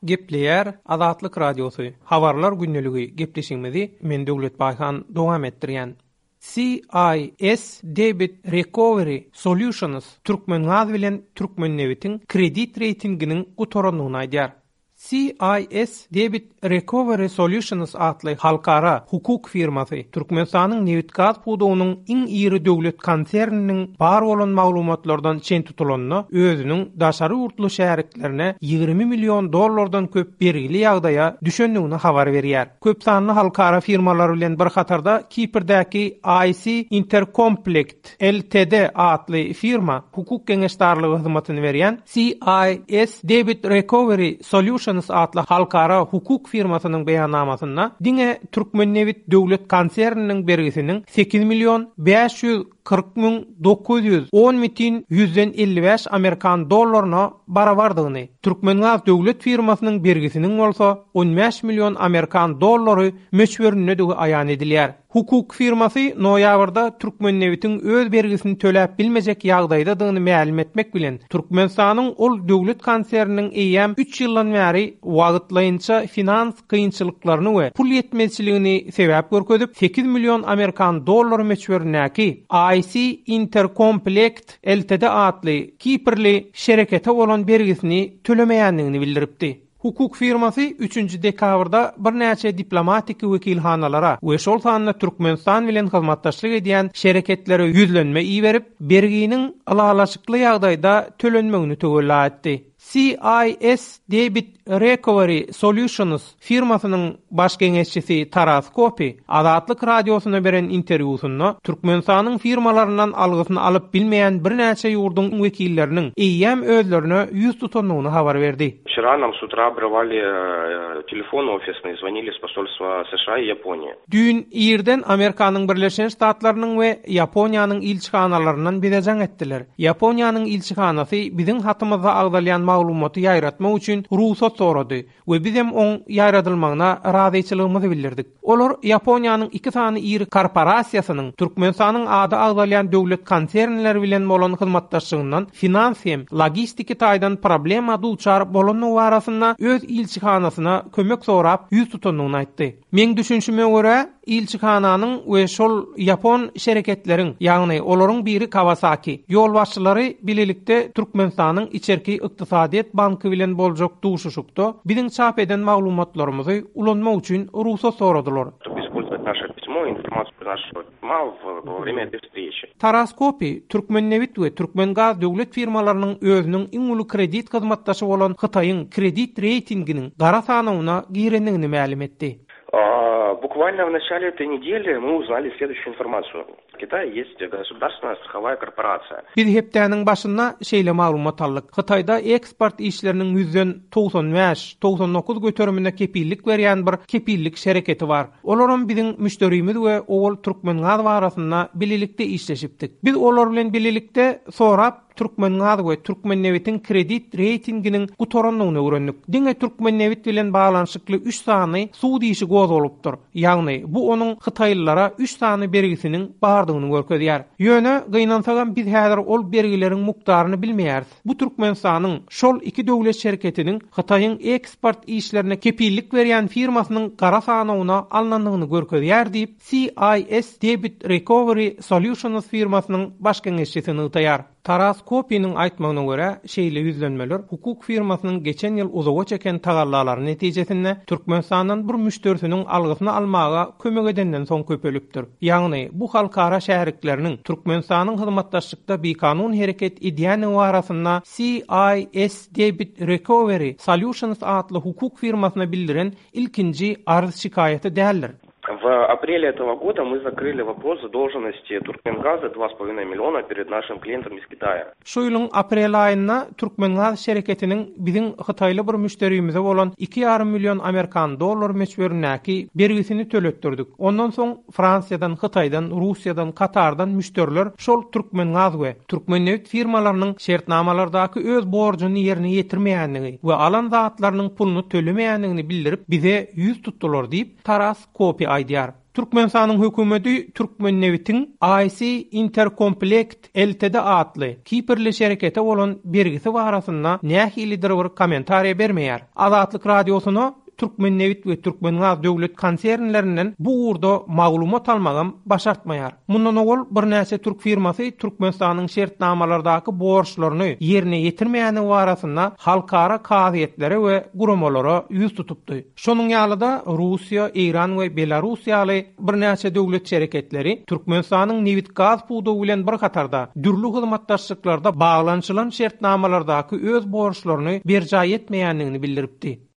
Gepleýär Azatlyk Radiosy, Habarlar gündeligi gepleşigimizi men Döwlet Baýhan dowam etdirýän. CIS Debit Recovery Solutions Türkmengaz bilen Türkmennebitiň kredit reýtinginiň gutarandygyny aýdýar. CIS Debit Recovery Solutions atly halkara hukuk firmasy Türkmenistanyň nebitgaz pudagynyň iň iri döwlet konserniniň bar bolan maglumatlardan çen tutulanda özüniň daşary ýurtly şäriklerine 20 million dollardan köp bergili ýagdaýa düşendigini habar berýär. Köpsanly halkara firmalar bilen bir hatarda Kiprдäki IC Intercomplect Ltd atly firma hukuk geňeşdarlygy hyzmatyny berýän CIS Debit Recovery Solutions atly halkara hukuk firmasynyň beýannamasynda diňe Türkmennebit döwlet konserniniň bergisiniň 8 million 540 müň 910 bütin ýüzden 55 amerikan dollaryna barabardygyny, Türkmengaz döwlet firmasynyň bergisiniň bolsa on bäş million amerikan dollary möçberindedigi aýan edilýär. Hukuk firmasy noýabrda Türkmennebitiň öz bergisini töläp bilmejek ýagdaýdadygyny mälim etmek bilen, Türkmenistanyň ol döwlet konserniniň eýýäm üç ýyldan bäri wagtlaýynça finans kynçylyklaryny we pul ýetmezçiligini sebäp görkezip, 8 million amerikan dollary möçberindäki IC Intercomplect Ltd atly kiprli şerekete bolan bergisini tölemeýändigini bildiripdi. Hukuk firmasy üçünji dekabrda birnäçe diplomatiki wekilhanalara we şol sanda Türkmenistan bilen hyzmatdaşlyk edýän şereketlere ýüzlenme iberip, berginiň ylalaşykly ýagdaýda tölenmegini töwella etdi. CIS Debit Recovery Solutions firmasynyň baş geňeşçisi Taras Kopi Azatlyk Radiosyna beren interwýusynda Türkmenistanyň firmalaryndan algysyny alyp bilmeýän birnäçe ýurduň wekilleriniň eýýäm özlerine ýüz tutandygyny habar berdi. Wçera nam s utra obrywali telefon ofisnyý, zvonili s posolstva США i Ýaponiýi. Düýn irden Amerikanyň Birleşen Ştatlarynyň we Ýaponiýanyň ilçihanalaryndan bize jaň etdiler. Ýaponiýanyň ilçihanasy biziň hatymyzda agzalýan maglumaty ýaýratmak üçin rugsat sorady. we bizem oň ýaýradylmagyna razyçylygymyzy bildirdik. Olar Ýaponiýanyň iki sany iri korporasiýasynyň Türkmenistanyň ady agzalýan döwlet konsernleri bilen bolan hyzmatdaşlygyndan finans hem logistiki taýdan problema duçar bolandygy barasynda öz ilçihanasyna kömek sorap ýüz tutandygyny aýtdy. Meň düşünşime görä, ilçihananyň we şol ýapon şereketleriň, ýagny olaryň biri Kawasaki, ýolbaşçylary bilelikde Türkmenistanyň Içerki ykdysadyýet banky bilen boljak duşuşykda biziň çap eden maglumatlarymyzy ulanmak üçin rugsat soradylar. Taras Kopi, Türkmennebit we Türkmengaz döwlet firmalarynyň özüniň iň uly kredit hyzmatdaşy bolan Hytaýyň kredit reýtinginiň gara sanawyna girendigini mälim etdi. Bukvalno v načale etoý nedeli my uznali sleduýuşiu informasiýu. V Kitaýe ýest gosudarstvennaýa strahowaýa korporasiýa. Biz hepdäniň başynda şeýle maglumat aldyk, Hytaýda eksport işleriniň ýüzden 95, 99 göterimine kepillik berýän bir kepillik şereketi bar. Olaram biziň müşderimiz we owal Türkmengaz barasynda bilelikde işleşipdik. Biz olar bilen bilelikde sorap Türkmengaz we Türkmennebitiň kredit reýtinginiň gutarandygyny öwrendik. Diňe Türkmennebit bilen baglanyşykly üç sany sud işi gozgalypdyr. Ýagny, bu onuň hytaýlylara üç sany bergisiniň bardygyny görkezýär. Ýöne, gynansagam biz häzir ol bergileriň mukdaryny bilmeýäris. Bu Türkmenistanyň şol iki döwlet şereketiniň Hytaýyň eksport işlerine kepillik berýän firmasynyň gara sanawyna alnandygyny görkezýär diýip, CIS Debit Recovery Solutions firmasynyň baş geňeşçisi nygtaýar. Taras Kopiniň aýtmagyna görä, şeýle ýüzlenmeler hukuk firmasynyň geçen ýyl uzaga çeken tagallalary netijesinde Türkmenistandan bir müşderisiniň algysyny almaga kömek edenden soň köpelipdir. Ýagny, bu halkara şärikleriniň Türkmenistanyň hyzmatdaşlykda bikanun hereket edýändigi barasynda CIS Debit Recovery Solutions atly hukuk firmasyna bildiren ilkinji arz-şikaýaty däldir. W aprele этого goda my zakryli wopros zadolženosti Turkmengaza dva s polowinoý milliona pered našim klientom iz Kitaýa. Şu ýylyň aprel aýynda Türkmengaz şereketiniň biziň hytaýly bir müşderimize bolan iki ýarym million amerikan dollary möçberindäki bergisini töletdirdik. Ondan soň Fransiýadan, Hytaýdan, Russiýadan, Katardan müşderiler şol Türkmengaz we Türkmennebit firmalarynyň şertnamalardaky öz borjuny ýerine ýetirmeýändigi we alan zatlarynyň puluny tölemeýändigini bildirip bize ýüz tutdular diýip, Taras Kopi aýdýar. Türkmenistanyň hökümeti Türkmennebitiň IC Interkomplekt Ltd atly kiprli şerekete bolan bergisi barasynda nähilidir bir kommentariýa bermeýär. Azatlyk Radiosyna Türkmennebit we Türkmengaz döwlet konsernlerinden bu ugurda maglumat almagam başartmaýar. Mundan owal birnäçe türk firmasy Türkmenistanyň şertnamalardaky borçlaryny ýerine ýetirmeýändigi barasynda halkara kazyýetlere we guramalara ýüz tutupdy. Şonuň ýaly-da, Russiýa, Eýran we Belarus ýaly birnäçe döwlet şereketleri Türkmenistanyň nebit-gaz pudagy bilen bir hatarda, dürli hyzmatdaşlyklarda baglanyşylan şertnamalardaky öz borçlaryny berjaý etmeýändigini bildiripdi.